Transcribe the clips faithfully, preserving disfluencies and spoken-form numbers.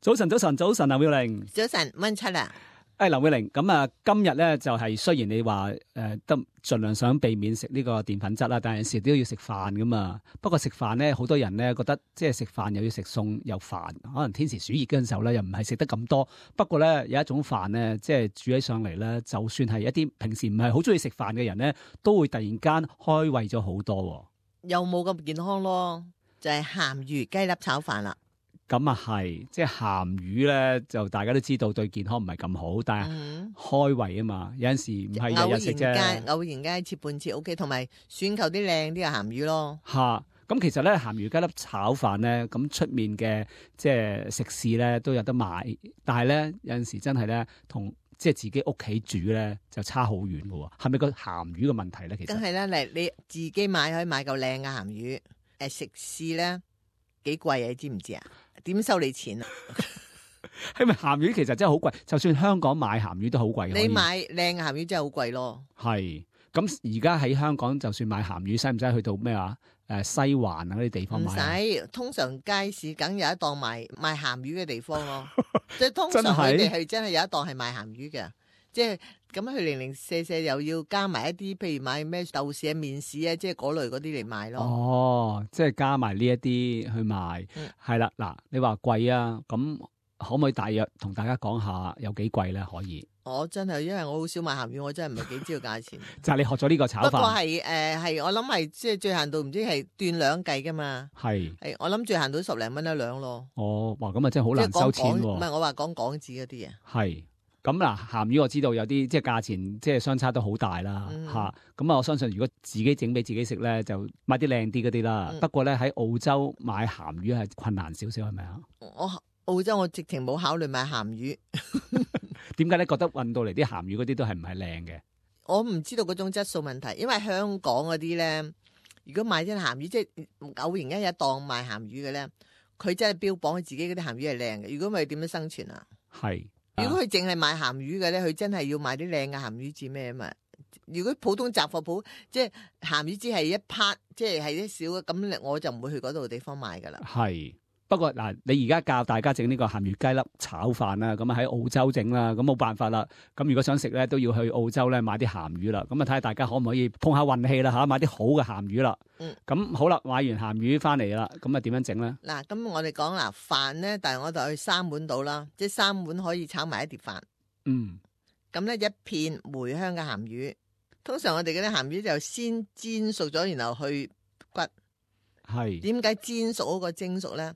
早晨，早晨，早晨，劉妙玲。早晨，溫七啊。誒，劉妙玲，咁啊，今日咧就係、是、雖然你話誒都盡量想避免食呢個澱粉質啦，但係有時都要食飯噶嘛。不過食飯咧，好多人咧覺得即係食飯又要食餸又煩，可能天時暑熱嗰陣時候咧又唔係食得咁多。不過咧有一種飯咧，即係煮起上嚟咧，就算係一啲平時唔係好中意食飯嘅人咧，都會突然間開胃咗好多。又冇咁健康咯，就係、是、鹹魚雞粒炒飯啦。咁啊係，即係鹹魚咧，就大家都知道對健康唔係咁好，但係開胃啊嘛，有陣時唔係日日食啫。偶然間切半切 O K，同埋選購啲靚啲嘅鹹魚咯。吓，咁其實咧鹹魚雞粒炒飯咧，咁出面嘅即係食肆咧都有得買，但係咧有陣時真係咧同即係自己屋企煮咧就差好遠噶喎。係咪個鹹魚嘅問題咧？其實梗係啦，嚟你自己買可以買嚿靚嘅鹹魚，誒食肆咧幾貴啊？你知唔知啊？點收你錢啊？係咪鹹魚其實真係好貴？就算香港買鹹魚都好貴。你買靚嘅鹹魚真係好貴咯。係，咁而家喺香港就算買鹹魚，使唔使去到咩啊？誒，西環啊嗰啲地方買？唔使，通常街市梗有一檔賣賣鹹魚嘅地方咯。即係通常佢哋係真係有一檔係賣鹹魚嘅。即係咁佢零零舍舍又要加埋一啲，譬如買咩豆豉啊、麵豉啊，即係嗰類嗰啲嚟賣咯。哦，即係加埋呢一啲去賣，係啦、嗯。嗱，你話貴啊，咁可唔可以大約同大家講下有幾貴咧？可以。我真係因為我好少買鹹魚，我真係唔係幾知道價錢。就係你學咗呢個炒飯。不過係誒係，我諗係即係最限度唔知係斷兩計噶嘛。係係，我諗最限度十零蚊一兩咯。哦，哇，咁啊真係好難收錢喎。唔係我話講港紙嗰啲啊。係。咁嗱，鹹魚我知道有啲即係價錢即係相差都好大啦嚇。咁、嗯、啊，我相信如果自己整俾自己食咧，就買啲靚啲嗰啲啦。嗯、不過咧喺澳洲買鹹魚係困難少少，係咪啊？我澳洲我直情冇考慮買鹹魚。點解咧？覺得運到嚟啲鹹魚嗰啲都係唔係靚嘅？我唔知道嗰種質素問題，因為香港嗰啲咧，如果買啲鹹魚，即係偶然間有一檔賣鹹魚嘅咧，佢真係標榜佢自己嗰啲鹹魚係靚嘅。如果唔係點樣生存啊？係。如果佢淨係賣鹹魚嘅咧，佢真係要買啲靚嘅鹹魚至咩啊嘛？如果普通雜貨鋪，即係鹹魚只係一 part，即係係啲少嘅，咁我就唔會去嗰度地方買噶啦。係。不過嗱，你而家教大家整呢個鹹魚雞粒炒飯啦，咁啊喺澳洲整啦，咁冇辦法啦。咁如果想食咧，都要去澳洲咧買啲鹹魚啦。咁啊睇下大家可唔可以碰下運氣啦嚇，買啲好嘅鹹魚啦。嗯。咁好啦，買完鹹魚翻嚟啦，咁啊點樣整咧？嗱，咁我哋講嗱飯咧，但係我就去三碗到啦，即係三碗可以炒埋一碟飯。嗯。咁咧一片梅香嘅鹹魚，通常我哋嗰啲鹹魚就先煎熟咗，然後去骨。係。點解煎熟好過蒸熟咧？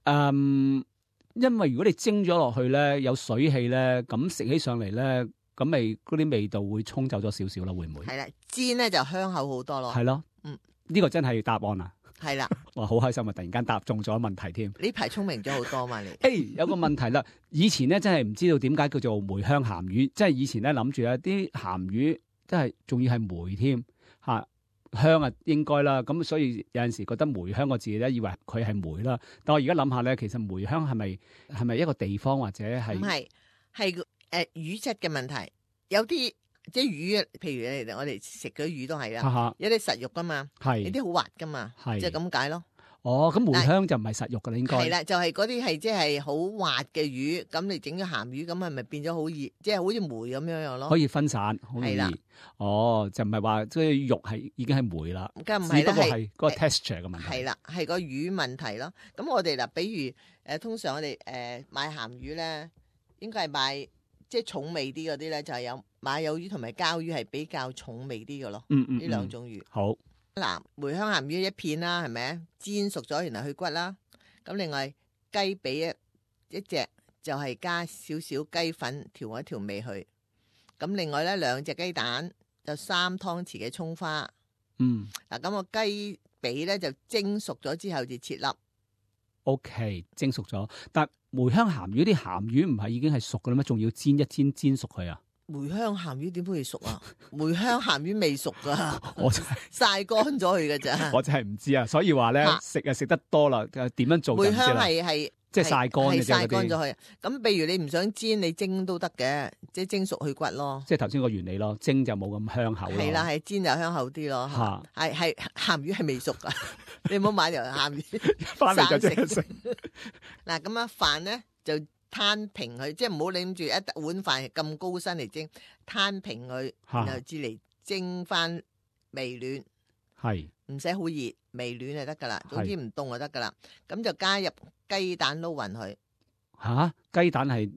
嗯，因為如果你蒸咗落去咧，有水氣咧，咁食起上嚟咧，咁咪嗰啲味道會沖走咗少少啦，會唔會？係啦，煎咧就香口好多咯。係咯，嗯，呢個真係答案啊。係啦，哇，好開心啊！突然間答中咗問題添。呢排聰明咗好多嘛你？誒，hey, 有個問題啦，以前咧真係唔知道點解叫做梅香鹹魚，即係以前咧諗住啊啲鹹魚真係仲要係梅添吓。香啊，應該啦，咁所以有陣時覺得梅香個字咧，以為佢係梅啦。但我而家諗下咧，其實梅香係咪係咪一個地方或者係？唔係，係誒、呃、魚質嘅問題。有啲即係魚，譬如我哋食嗰啲魚都係啦，哈哈有啲實肉噶嘛，係有啲好滑噶嘛，係即係咁解咯。哦，咁梅香就唔係實肉噶啦，應該係啦，就係嗰啲係即係好滑嘅魚，咁你整咗鹹魚，咁係咪變咗好熱，即係好似梅咁樣樣咯？可以分散，好容易。哦，就唔係話即係肉係已經係梅啦，梗唔係啦，係嗰個 texture 嘅問題。係啦，係個魚問題咯。咁我哋嗱，比如誒，通常我哋誒買鹹魚咧，應該係買即係重味啲嗰啲咧，就係有馬友魚同埋膠魚係比較重味啲嘅咯。嗯嗯，呢兩種魚好。嗱，梅香鹹魚一片啦，係咪？煎熟咗，然後去骨啦。咁另外雞髀一一隻，就係加少少雞粉調一調味去。咁另外咧兩隻雞蛋，就三湯匙嘅蔥花。嗯。嗱，咁個雞髀咧就蒸熟咗之後就切粒。O K， 蒸熟咗，但梅香鹹魚啲鹹魚唔係已經係熟嘅啦咩？仲要煎一煎煎熟佢啊？梅香鹹魚點會熟啊？梅香鹹魚未熟噶，我真係曬乾咗佢噶咋。我真係唔知啊，所以話咧食啊食得多啦，點樣做？梅香係係即係曬乾嘅啫，曬乾咗佢。咁譬如你唔想煎，你蒸都得嘅，即係蒸熟去骨咯。即係頭先個原理咯，蒸就冇咁香口咯。係啦，係煎就香口啲咯。係係鹹魚係未熟噶，你唔好買條鹹魚翻嚟就即刻食。嗱咁啊飯咧就攤平佢，即係唔好諗住一碗飯咁高身嚟蒸，攤平佢，然後至嚟蒸翻微暖，係唔使好熱，微暖就得噶啦。總之唔凍就得噶啦。咁就加入雞蛋撈勻佢。吓，雞蛋係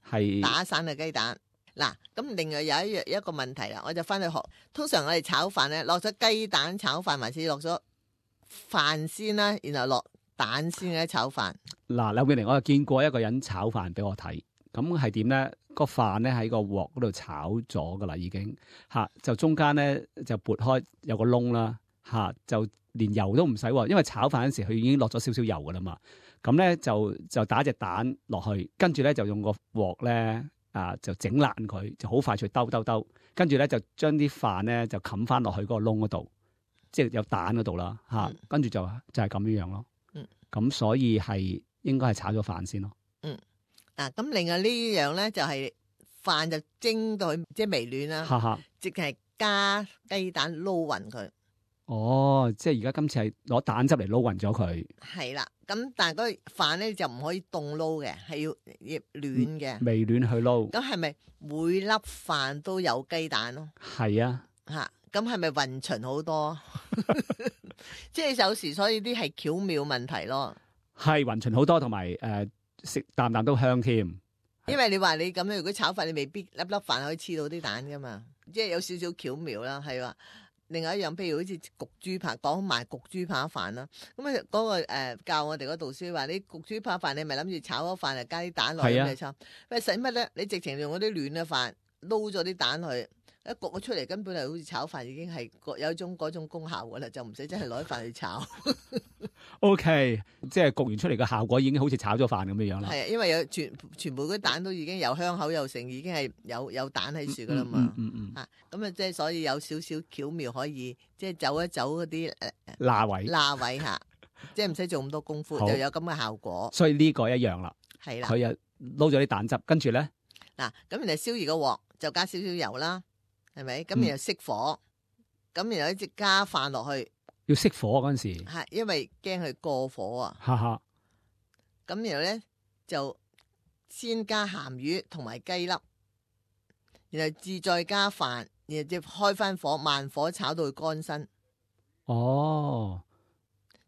係打散嘅雞蛋。嗱，咁另外有一樣一個問題啦，我就翻去學。通常我哋炒飯咧，落咗雞蛋炒飯，還是落咗飯先啦，然後落蛋先嘅炒飯。嗱，劉美玲，我就見過一個人炒飯俾我睇，咁係點咧？個飯咧喺個鑊嗰度炒咗噶啦，已經吓，就中間咧就撥開有個窿啦，吓，就連油都唔使，因為炒飯嗰時佢已經落咗少少油噶啦嘛。咁咧就就打隻蛋落去，跟住咧就用個鑊咧啊就整爛佢，就好快脆兜兜兜，跟住咧就將啲飯咧就冚翻落去嗰個窿嗰度，即係有蛋嗰度啦嚇，跟住就就係咁樣樣咯。嗯，咁所以係應該係炒咗飯先咯。嗯，嗱，咁另外呢樣咧就係飯就蒸到佢即係微暖啦，哈哈，即係加雞蛋撈勻佢。哦，即係而家今次係攞蛋汁嚟撈勻咗佢。係啦，咁但係嗰個飯咧就唔可以凍撈嘅，係要要暖嘅，微暖去撈。咁係咪每粒飯都有雞蛋咯？係啊，嚇，咁係咪勻循好多？即係有時所以啲係巧妙問題咯。係勻循好多，同埋誒食啖啖都香添。因為你話你咁樣，如果炒飯你未必粒粒飯可以黐到啲蛋噶嘛，即係有少少巧妙啦，係話。另外一樣，譬如好似焗豬扒，講埋焗豬扒飯啦。咁啊，嗰個誒教我哋嗰導師話：你焗豬扒飯，你咪諗住炒咗飯，就加啲蛋落去嚟炒。喂，使乜咧？你直情用嗰啲暖嘅飯撈咗啲蛋去，一焗咗出嚟，根本係好似炒飯已經係有一種嗰種功效噶啦，就唔使真係攞啲飯去炒。O、okay, K， 即係焗完出嚟嘅效果已經好似炒咗飯咁樣樣啦。係啊，因為有全全部嗰啲蛋都已經有香口有成，已經係有有蛋喺樹噶啦嘛。嗯嗯啊，咁啊，即係所以有少少巧妙可以即係走一走嗰啲誒罅位罅位嚇，即係唔使做咁多功夫，就有咁嘅效果。所以呢個一樣啦。係啦，佢又撈咗啲蛋汁，跟住咧嗱，咁然後燒熱個鑊就加少少油啦，係咪？咁然後熄火，咁、嗯、然後一直加飯落去。要熄火嗰陣時，係因為驚佢過火啊。哈哈。咁然後咧就先加鹹魚同埋雞粒，然後至再加飯，然後就開翻火，慢火炒到佢乾身。哦，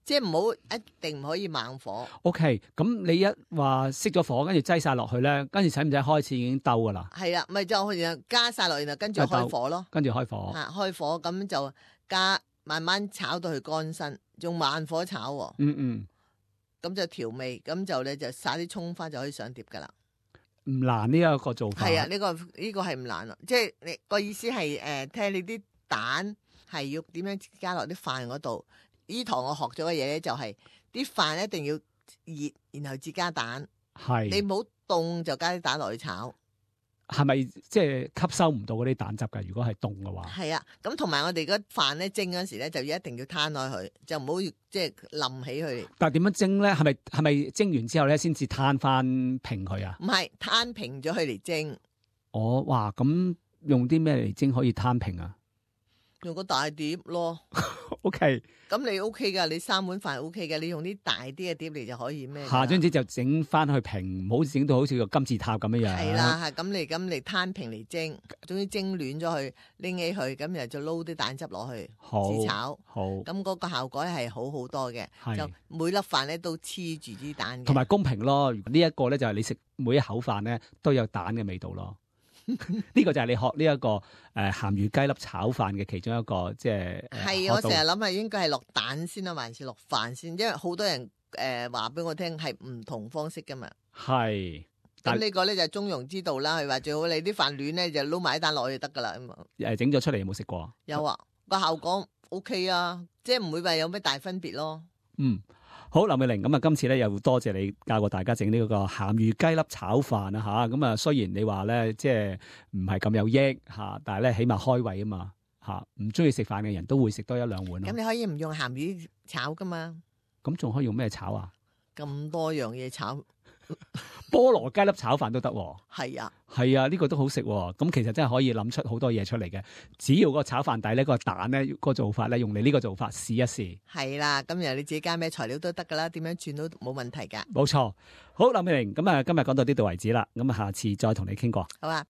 即係唔好一定唔可以猛火。O K，咁你一話熄咗火，跟住擠晒落去咧，跟住使唔使開始已經兜噶啦？係啦，咪就然後加晒落，然後跟住開火咯。跟住開火。嚇，開火咁就加。慢慢炒到佢乾身，用慢火炒喎。嗯嗯，咁就調味，咁就咧就撒啲葱花就可以上碟噶啦。唔難呢一個做法。係啊，呢、呢個呢、呢個係唔難咯。即係你個意思係誒，睇下你啲蛋係要點樣加落啲飯嗰度。呢堂我學咗嘅嘢咧，就係啲飯一定要熱，然後至加蛋。係你唔好凍就加啲蛋落去炒。係咪即係吸收唔到嗰啲蛋汁㗎？如果係凍嘅話，係啊，咁同埋我哋嗰飯咧蒸嗰時咧，就一定要攤開佢，就唔好即係冧起佢。但係點樣蒸咧？係咪係咪蒸完之後咧，先至攤翻平佢啊？唔係攤平咗佢嚟蒸。哦，哇！咁用啲咩嚟蒸可以攤平啊？用個大碟咯。O K。咁你 O K 噶，你三碗飯 O K 嘅，你用啲大啲嘅碟嚟就可以咩？下張紙就整翻去平，唔好整到好似個金字塔咁樣樣。係啦，係咁嚟咁嚟攤平嚟蒸，總之蒸暖咗佢，拎起佢，咁然後就撈啲蛋汁落去，自炒。好，咁嗰個效果係好好多嘅，就每粒飯咧都黐住啲蛋嘅。同埋公平咯，呢一個咧就係你食每一口飯咧都有蛋嘅味道咯。呢個就係你學呢、這、一個誒鹹魚雞粒炒飯嘅其中一個即係係我成日諗係應該係落蛋先啦，還是落飯先？因為好多人誒話俾我聽係唔同方式噶嘛。係咁呢個咧就係中庸之道啦。佢話最好你啲飯暖咧就撈埋啲蛋落去就得噶啦。誒整咗出嚟有冇食過？有啊，個效果 O K 啊，即係唔會話有咩大分別咯。嗯。好，劉美玲，咁啊，今次咧又多謝你教過大家整呢個鹹魚雞粒炒飯啊吓，咁啊雖然你話咧即係唔係咁有益吓，但係咧起碼開胃啊嘛吓，唔中意食飯嘅人都會食多一兩碗咯。咁你可以唔用鹹魚炒噶嘛？咁仲可以用咩炒啊？咁多樣嘢炒，菠蘿雞粒炒飯都得喎。係啊，係啊，呢、個都好食喎。咁其實真係可以諗出好多嘢出嚟嘅。只要個炒飯底咧，個蛋咧，個做法咧，用你呢個做法試一試。係啦。咁然後你自己加咩材料都得噶啦，點樣轉都冇問題㗎。冇錯。好，林美玲，咁啊，今日講到呢度為止啦。咁啊，下次再同你傾過。好啊。